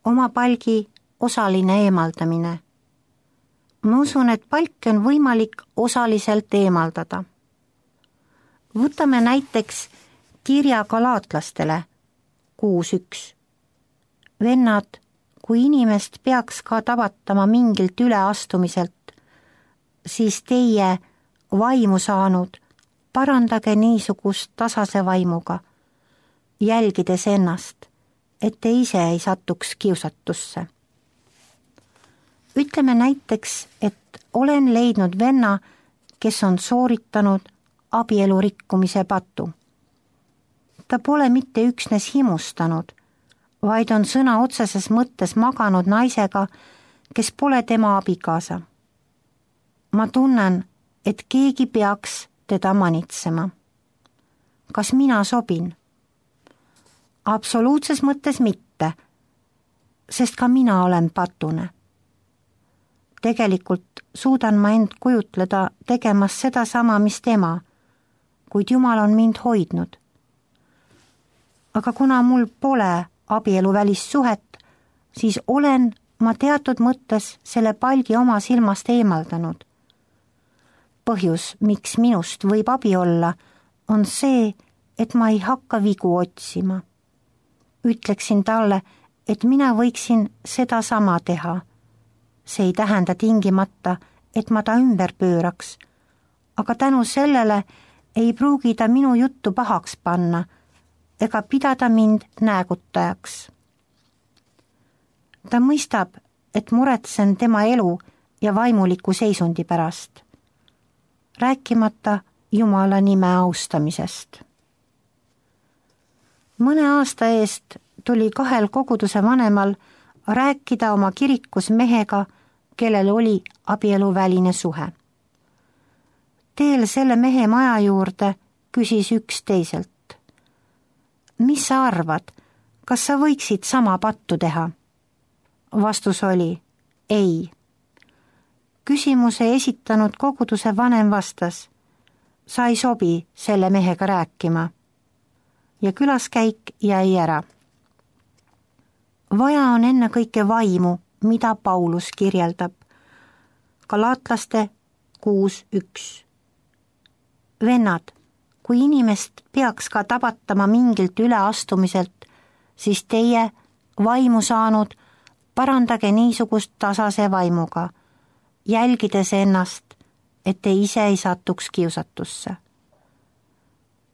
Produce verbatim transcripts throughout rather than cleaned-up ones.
oma palgi osaline eemaldamine. Ma usun, et palki on võimalik osaliselt eemaldada. Võtame näiteks kirja galaatlastele kuus üks. Vennad, kui inimest peaks ka tavatama mingilt üleastumiselt, siis teie vaimu saanud, parandage niisugust tasase vaimuga, jälgides ennast, et te ise ei satuks kiusatusse. Ütleme näiteks, et olen leidnud venna, kes on sooritanud abielu rikkumise patu. Ta pole mitte üksnes himustanud, vaid on sõna otseses mõttes maganud naisega, kes pole tema abikaasa. Ma tunnen, et keegi peaks teda manitsema. Kas mina sobin? Absoluutses mõttes mitte, sest ka mina olen patune. Tegelikult suudan ma end kujutleda tegemas seda sama, mis tema, kuid Jumal on mind hoidnud. Aga kuna mul pole abielu välissuhet, siis olen ma teatud mõttes selle palgi oma silmast eemaldanud. Põhjus, miks minust võib abi olla, on see, et ma ei hakka vigu otsima. Ütleksin talle, et mina võiksin seda sama teha. See ei tähenda tingimata, et ma ta ümber pööraks, aga tänu sellele ei pruugi ta minu juttu pahaks panna ega pidada mind näägutajaks. Ta mõistab, et muretsen tema elu ja vaimuliku seisundi pärast, rääkimata Jumala nime austamisest. Mõne aasta eest tuli kahel koguduse vanemal rääkida oma kirikus mehega, kellel oli abieluväline suhe. Teel selle mehe maja juurde küsis üks teiselt. Mis sa arvad, kas sa võiksid sama pattu teha? Vastus oli, ei. Küsimuse esitanud koguduse vanem vastas, sa ei sobi selle mehega rääkima. Ja külaskäik jäi ära. Vaja on ennekõike vaimu, mida Paulus kirjeldab. Galaatlaste kuus üks. Vennad, kui inimest peaks ka tabatama mingilt üleastumiselt, siis teie, vaimu saanud, parandage niisugust tasase vaimuga, jälgides ennast, et te ise ei satuks kiusatusse.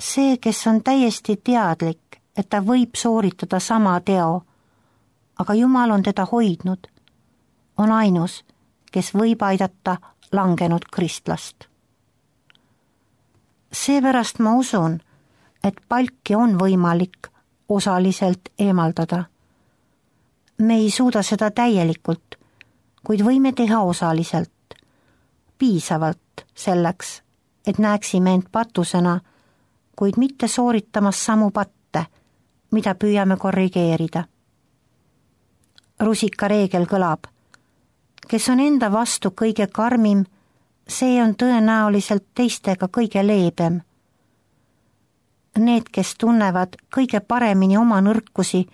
See, kes on täiesti teadlik, et ta võib sooritada sama teo, aga Jumal on teda hoidnud, on ainus, kes võib aidata langenud kristlast. Seepärast ma usun, et palki on võimalik osaliselt eemaldada. Me ei suuda seda täielikult, kuid võime teha osaliselt, piisavalt selleks, et näeksime end patusena, kuid mitte sooritamas samu patte, mida püüame korrigeerida. Rusika reegel kõlab, kes on enda vastu kõige karmim, see on tõenäoliselt teistega kõige leebem. Need, kes tunnevad kõige paremini oma nõrkusi,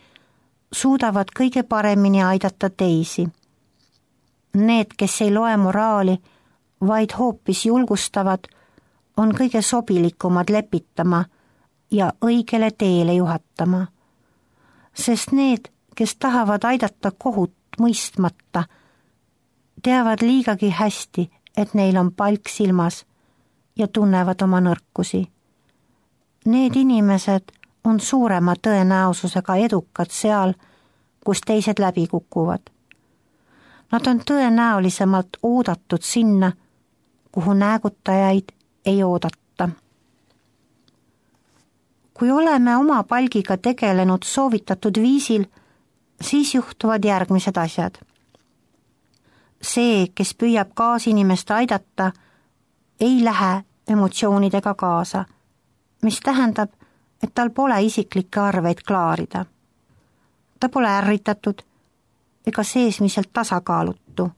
suudavad kõige paremini aidata teisi. Need, kes ei loe moraali, vaid hoopis julgustavad, on kõige sobilikumad lepitama ja õigele teele juhatama. Sest need, kes tahavad aidata kohut mõistmata, teavad liigagi hästi, et neil on palk silmas ja tunnevad oma nõrkusi. Need inimesed on suurema tõenäosusega edukad seal, kus teised läbi kukuvad. Nad on tõenäolisemalt oodatud sinna, kuhu näägutajaid ei oodata. Kui oleme oma palgiga tegelenud soovitatud viisil, siis juhtuvad järgmised asjad. See, kes püüab kaasinimest aidata, ei lähe emotsioonidega kaasa, mis tähendab, et tal pole isiklikke arveid klaarida. Ta pole ärritatud ega seesmiselt tasakaalutu.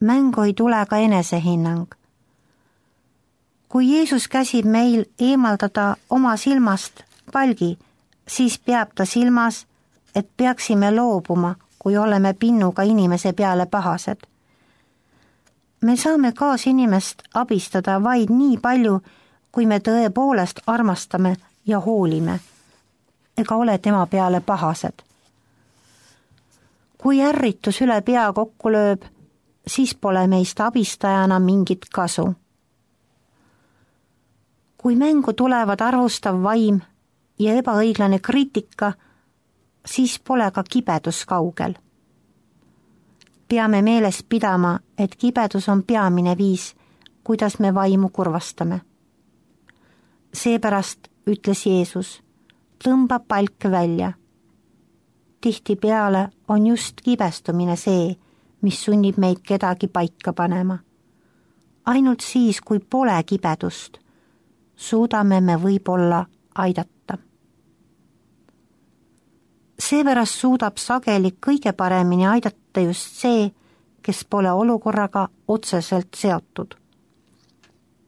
Mängu ei tule ka enesehinnang. Kui Jeesus käsib meil eemaldada oma silmast palgi, siis peab ta silmas, et peaksime loobuma kui oleme pinnuga inimese peale pahased. Me saame kaasinimest abistada vaid nii palju, kui me tõepoolest armastame ja hoolime, ega ole tema peale pahased. Kui ärritus üle pea kokku lööb, siis pole meist abistajana mingit kasu. Kui mängu tulevad arvustav vaim ja ebaõiglane kriitika, siis pole ka kibedus kaugel. Peame meeles pidama, et kibedus on peamine viis, kuidas me vaimu kurvastame. Seepärast ütles Jeesus, tõmba palk välja. Tihtipeale on just kibestumine see, mis sunnib meid kedagi paika panema. Ainult siis, kui pole kibedust, suudame me võib-olla aidata. Seepärast suudab sageli kõige paremini aidata just see, kes pole olukorraga otseselt seotud.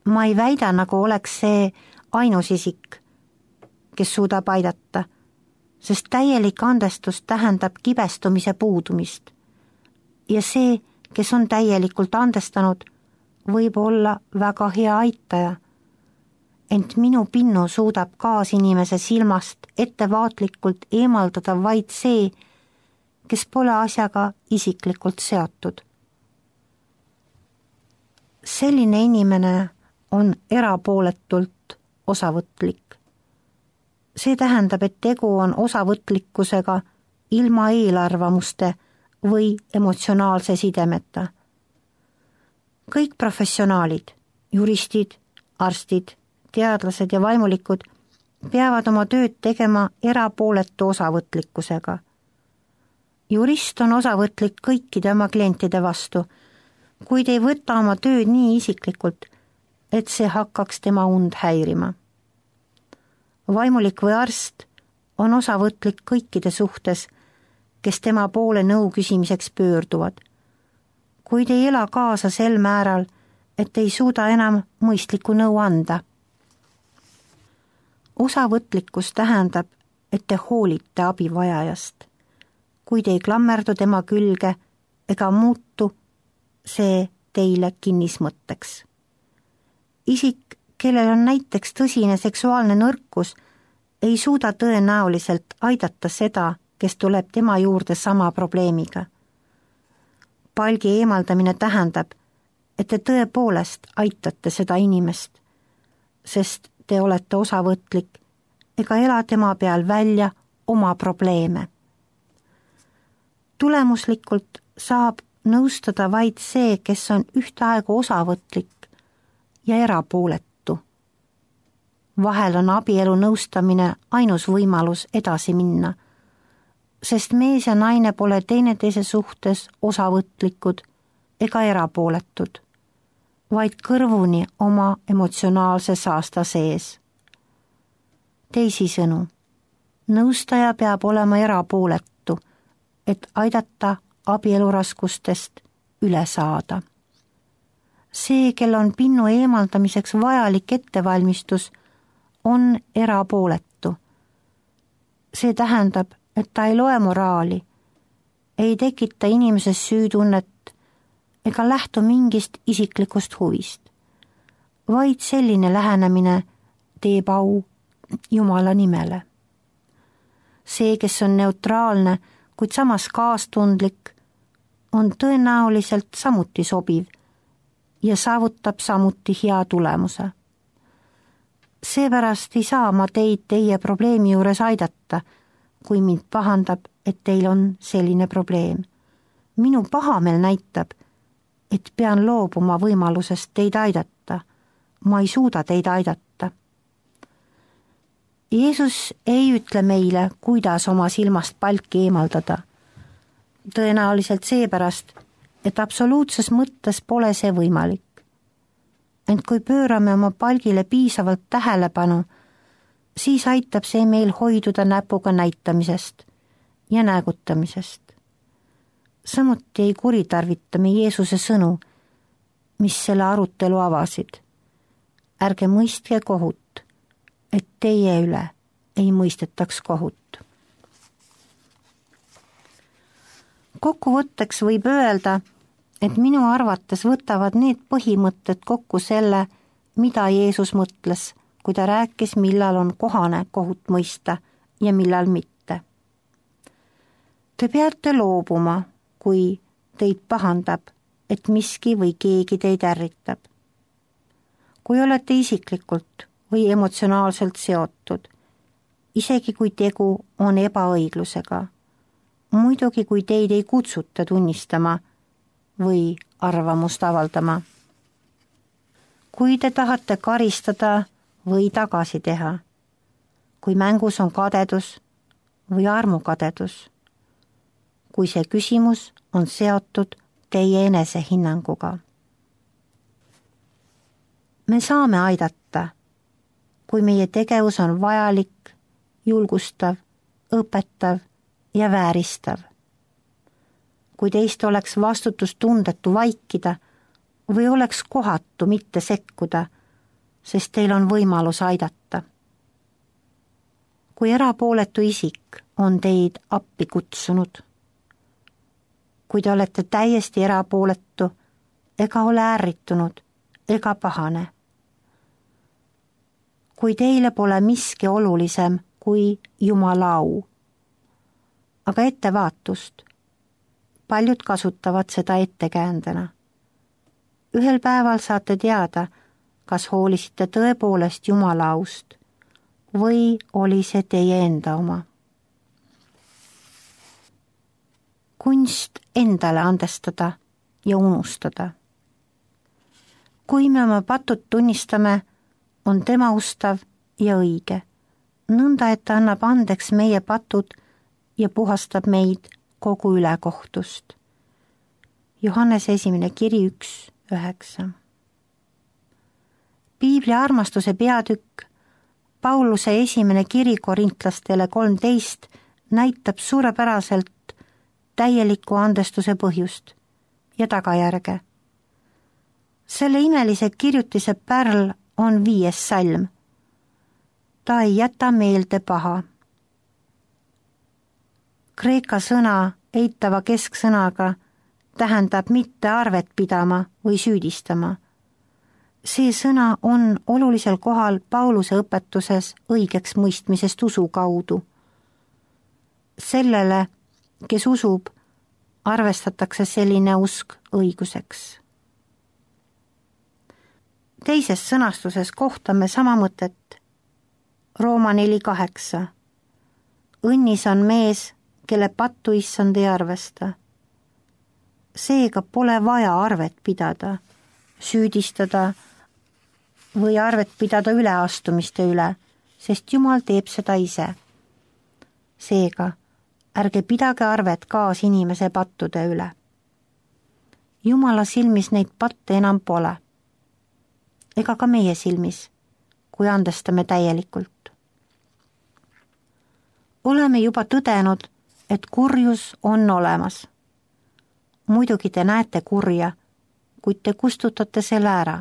Ma ei väida, nagu oleks see ainus isik, kes suudab aidata, sest täielik andestus tähendab kibestumise puudumist. Ja see, kes on täielikult andestanud, võib olla väga hea aitaja. Ent minu pinnu suudab kaasinimese silmast ettevaatlikult eemaldada vaid see, kes pole asjaga isiklikult seotud. Selline inimene on erapooletult osavõtlik. See tähendab, et tegu on osavõtlikkusega ilma eelarvamuste või emotsionaalse sidemeta. Kõik professionaalid, juristid, arstid, teadlased ja vaimulikud peavad oma tööd tegema erapooletu osavõtlikkusega. Jurist on osavõtlik kõikide oma klientide vastu, kuid ei võta oma tööd nii isiklikult, et see hakkaks tema und häirima. Vaimulik või arst on osavõtlik kõikide suhtes, kes tema poole nõu küsimiseks pöörduvad, kuid ei ela kaasa sel määral, et ei suuda enam mõistlikku nõu anda. Osavõtlikkus tähendab, et te hoolite abivajajast, kuid ei klammerdu tema külge ega muutu see teile kinnismõtteks. Isik, kellel on näiteks tõsine seksuaalne nõrkus, ei suuda tõenäoliselt aidata seda, kes tuleb tema juurde sama probleemiga. Palgi eemaldamine tähendab, et te tõepoolest aitate seda inimest, sest te olete osavõtlik ega ela tema peal välja oma probleeme. Tulemuslikult saab nõustada vaid see, kes on ühtaegu osavõtlik ja erapooletu. Vahel on abielu nõustamine ainus võimalus edasi minna, sest mees ja naine pole teineteise suhtes osavõtlikud ega erapooletud, vaid kõrvuni oma emotsionaalse saasta sees. Teisisõnu, nõustaja peab olema erapooletu, et aidata abieluraskustest üle saada. See, kel on pinnu eemaldamiseks vajalik ettevalmistus, on erapooletu. See tähendab, et ta ei loe moraali, ei tekita inimeses süütunnet ega lähtu mingist isiklikust huvist, vaid selline lähenemine teeb au Jumala nimele. See, kes on neutraalne, kuid samas kaastundlik, on tõenäoliselt samuti sobiv ja saavutab samuti hea tulemuse. Seepärast ei saa ma teid teie probleemi juures aidata, kui mind pahandab, et teil on selline probleem. Minu pahameel näitab, et pean loobuma võimalusest teid aidata. Ma ei suuda teid aidata. Jeesus ei ütle meile, kuidas oma silmast palki eemaldada. Tõenäoliselt seepärast, et absoluutses mõttes pole see võimalik. Ent kui pöörame oma palgile piisavalt tähelepanu, siis aitab see meil hoiduda näpuga näitamisest ja näägutamisest. Samuti ei kuritarvita me Jeesuse sõnu, mis selle arutelu avasid. Ärge mõistke kohut, et teie üle ei mõistetaks kohut. Kokkuvõtteks võib öelda, et minu arvates võtavad need põhimõtted kokku selle, mida Jeesus mõtles, kui ta rääkis, millal on kohane kohut mõista ja millal mitte. Te peate loobuma, kui teid pahandab, et miski või keegi teid ärritab. Kui olete isiklikult või emotsionaalselt seotud, isegi kui tegu on ebaõiglusega, muidugi kui teid ei kutsuta tunnistama või arvamust avaldama. Kui te tahate karistada või tagasi teha, kui mängus on kadedus või armukadedus, kui see küsimus on seotud teie enesehinnanguga. Me saame aidata, kui meie tegevus on vajalik, julgustav, õpetav ja vääristav. Kui teist oleks vastutustundetu vaikida või oleks kohatu mitte sekkuda, sest teil on võimalus aidata. Kui erapooletu isik on teid appi kutsunud, kui te olete täiesti erapooletu ega ole ärritunud ega pahane, kui teile pole miski olulisem kui Jumala au. Aga ettevaatust, paljud kasutavad seda ettekäändena. Ühel päeval saate teada, kas hoolisite tõepoolest Jumala aust või oli see teie enda oma. Kunst endale andestada ja unustada. Kui me oma patud tunnistame, on tema ustav ja õige, nõnda et ta annab andeks meie patud ja puhastab meid kogu ülekohtust. Johannese esimene kiri üks üheksa. Piibli armastuse peatükk, Pauluse esimene kiri korintlastele kolmteist näitab suurepäraselt täieliku andestuse põhjust ja tagajärge. Selle imelise kirjutise pärl on viies salm. Ta ei jäta meelde paha. Kreeka sõna eitava kesksõnaga tähendab mitte arvet pidama või süüdistama. See sõna on olulisel kohal Pauluse õpetuses õigeks mõistmisest usu kaudu. Sellele, kes usub, arvestatakse selline usk õiguseks. Teises sõnastuses kohtame sama mõtet. Rooma neli kaheksa. Õnnis on mees, kelle pattu issand ei arvesta. Seega pole vaja arvet pidada, süüdistada või arvet pidada üleastumiste üle, sest Jumal teeb seda ise. Seega, ärge pidage arvet kaasinimese pattude üle. Jumala silmis neid patte enam pole. Ega ka meie silmis, kui andestame täielikult. Oleme juba tõdenud, et kurjus on olemas. Muidugi te näete kurja, kuid te kustutate selle ära.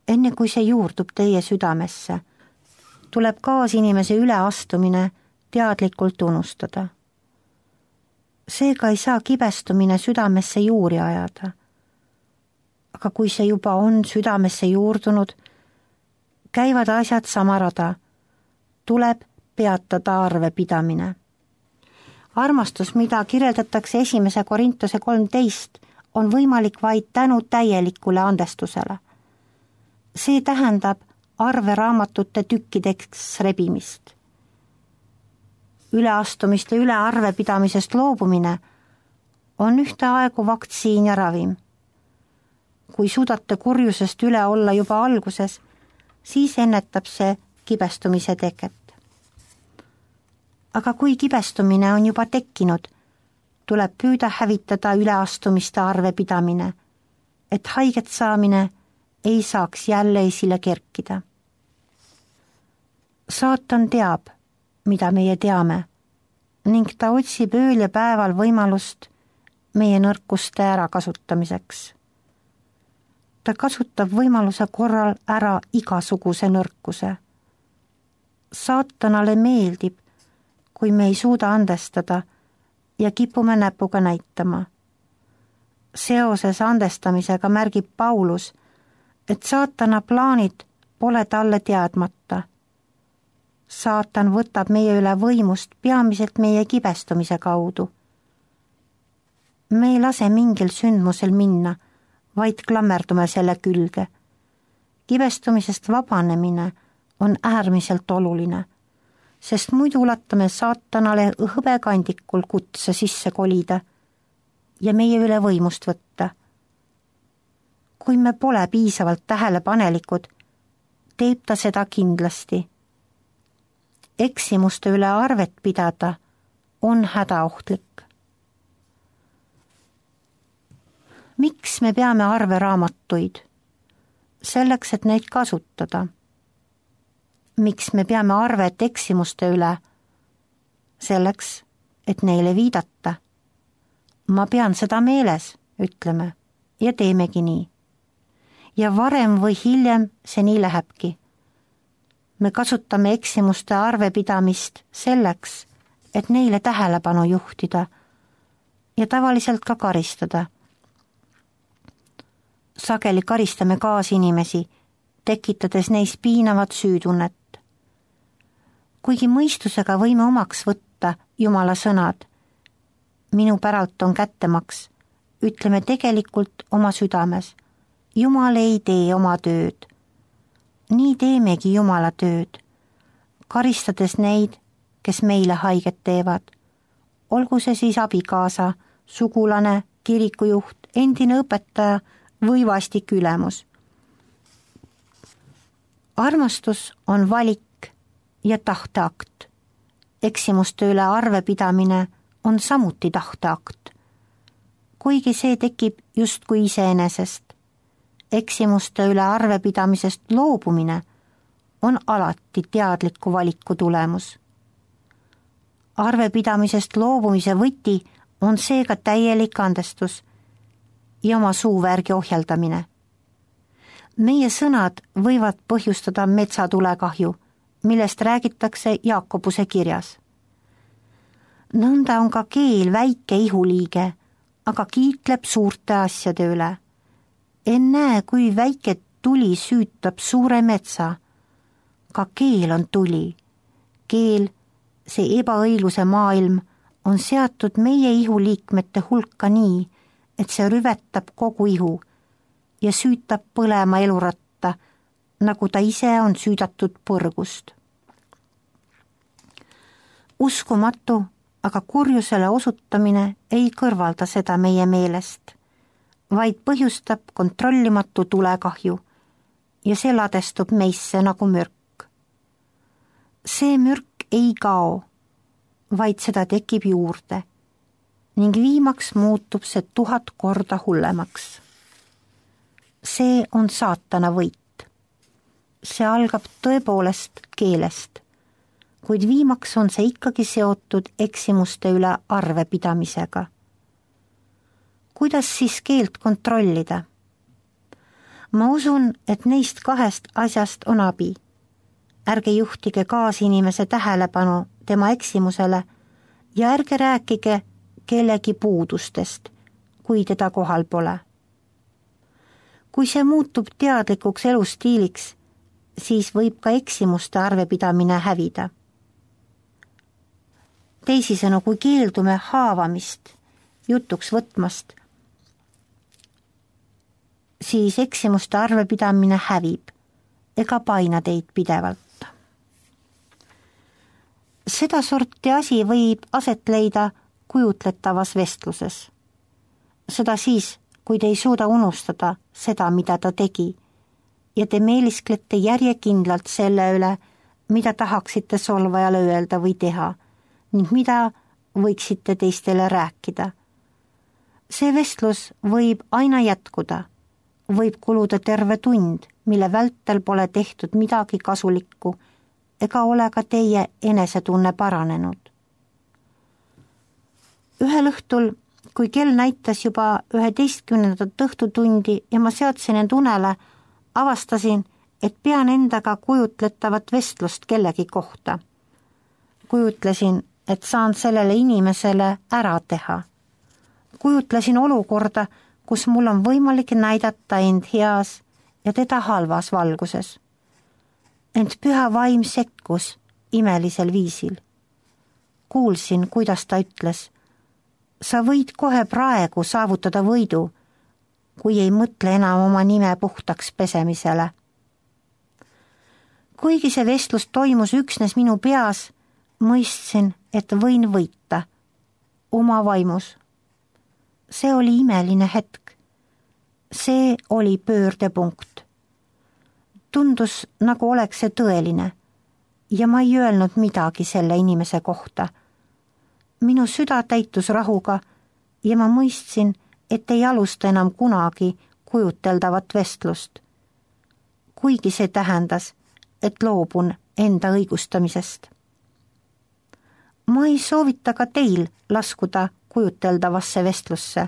Enne kui see juurdub teie südamesse, tuleb kaasinimese üleastumine teadlikult unustada. Seega ei saa kibestumine südamesse juuri ajada. Aga kui see juba on südamesse juurdunud, käivad asjad sama rada, tuleb peatada arvepidamine. Armastus, mida kirjeldatakse esimese Korintuse kolmteist, on võimalik vaid tänu täielikule andestusele. See tähendab arveraamatute tükkideks rebimist. Üleastumiste üle arvepidamisest loobumine on ühtaegu vaktsiin ja ravim. Kui suudate kurjusest üle olla juba alguses, siis ennetab see kibestumise teket. Aga kui kibestumine on juba tekkinud, tuleb püüda hävitada üleastumiste arvepidamine, et haiget saamine ei saaks jälle esile kerkida. Saatan teab, mida meie teame, ning ta otsib ööl ja päeval võimalust meie nõrkuste ärakasutamiseks. Ta kasutab võimaluse korral ära igasuguse nõrkuse. Saatanale meeldib, kui me ei suuda andestada ja kipume näpuga näitama. Seoses andestamisega märgib Paulus, et saatana plaanid pole talle teadmata. Saatan võtab meie üle võimust peamiselt meie kibestumise kaudu. Me ei lase mingil sündmusel minna, vaid klammerdume selle külge. Kibestumisest vabanemine on äärmiselt oluline, sest muidu ulatame saatanale hõbekandikul kutse sisse kolida ja meie üle võimust võtta. Kui me pole piisavalt tähelepanelikud, teeb ta seda kindlasti. Eksimuste üle arvet pidada on hädaohtlik. Miks me peame arveraamatuid? Selleks, et neid kasutada. Miks me peame arvet eksimuste üle? Selleks, et neile viidata. Ma pean seda meeles, ütleme, ja teemegi nii. Ja varem või hiljem see nii lähebki. Me kasutame eksimuste arvepidamist selleks, et neile tähelepanu juhtida ja tavaliselt ka karistada. Sageli karistame kaasinimesi, tekitades neis piinavat süütunnet. Kuigi mõistusega võime omaks võtta Jumala sõnad, minu päralt on kättemaks, ütleme tegelikult oma südames, Jumal ei tee oma tööd. Nii teemegi Jumala tööd, karistades neid, kes meile haiget teevad. Olgu see siis abikaasa, sugulane, kirikujuht, endine õpetaja või vastik ülemus. Armastus on valik ja tahteakt. Eksimuste üle arvepidamine on samuti tahteakt, kuigi see tekib justkui iseenesest. Eksimuste üle arvepidamisest loobumine on alati teadliku valiku tulemus. Arvepidamisest loobumise võti on seega täielik andestus ja oma suuvärgi ohjeldamine. Meie sõnad võivad põhjustada metsatulekahju, millest räägitakse Jaakobuse kirjas. Nõnda on ka keel väike ihuliige, aga kiitleb suurte asjade üle. En näe, kui väike tuli süütab suure metsa. Ka keel on tuli. Keel, see ebaõigluse maailm, on seatud meie ihuliikmete hulka nii, et see rüvetab kogu ihu ja süütab põlema eluratta, nagu ta ise on süüdatud põrgust. Uskumatu, aga kurjusele osutamine ei kõrvalda seda meie meelest, vaid põhjustab kontrollimatu tulekahju ja see ladestub meisse nagu mürk. See mürk ei kao, vaid seda tekib juurde ning viimaks muutub see tuhat korda hullemaks. See on saatana võit. See algab tõepoolest keelest, kuid viimaks on see ikkagi seotud eksimuste üle arvepidamisega. Kuidas siis keelt kontrollida? Ma usun, et neist kahest asjast on abi. Ärge juhtige kaasinimese tähelepanu tema eksimusele ja ärge rääkige kellegi puudustest, kui teda kohal pole. Kui see muutub teadlikuks elustiiliks, siis võib ka eksimuste arvepidamine hävida. Teisisõnu, kui keeldume haavamist, jutuks võtmast, siis eksimuste arvepidamine hävib ega paina teid pidevalt. Seda sorti asi võib aset leida kujutletavas vestluses. Seda siis, kui te ei suuda unustada seda, mida ta tegi, ja te meelisklete järjekindlalt selle üle, mida tahaksite solvajale öelda või teha, ning mida võiksite teistele rääkida. See vestlus võib aina jätkuda, võib kuluda terve tund, mille vältel pole tehtud midagi kasulikku ega ole ka teie enesetunne paranenud. Ühel õhtul, kui kell näitas juba üheteistkümnendat õhtutundi ja ma seadsin end unele, avastasin, et pean endaga kujutletavat vestlust kellegi kohta. Kujutlesin, et saan sellele inimesele ära teha. Kujutlesin olukorda, kus mul on võimalik näidata end heas ja teda halvas valguses. Ent püha vaim sekkus imelisel viisil. Kuulsin, kuidas ta ütles, sa võid kohe praegu saavutada võidu, kui ei mõtle enam oma nime puhtaks pesemisele. Kuigi see vestlus toimus üksnes minu peas, mõistsin, et võin võita oma vaimus. See oli imeline hetk. See oli pöördepunkt. Tundus, nagu oleks see tõeline ja ma ei öelnud midagi selle inimese kohta. Minu süda täitus rahuga ja ma mõistsin, et ei alusta enam kunagi kujuteldavat vestlust. Kuigi see tähendas, et loobun enda õigustamisest. Ma ei soovita ka teil laskuda kujuteldavasse vestlusse.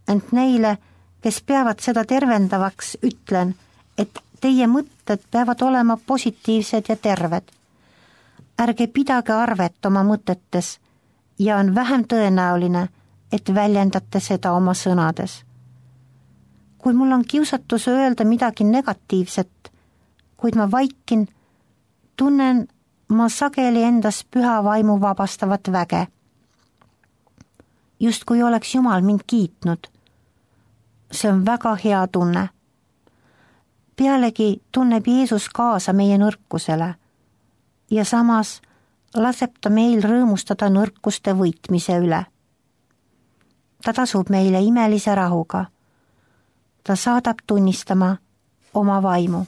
Ent neile, kes peavad seda tervendavaks, ütlen, et teie mõtted peavad olema positiivsed ja terved. Ärge pidage arvet oma mõtetes ja on vähem tõenäoline, et väljendate seda oma sõnades. Kui mul on kiusatus öelda midagi negatiivset, kuid ma vaikin, tunnen ma sageli endas püha vaimu vabastavat väge. Just kui oleks Jumal mind kiitnud. See on väga hea tunne. Pealegi tunneb Jeesus kaasa meie nõrkusele ja samas laseb ta meil rõõmustada nõrkuste võitmise üle. Ta tasub meile imelise rahuga. Ta saadab tunnistama oma vaimu.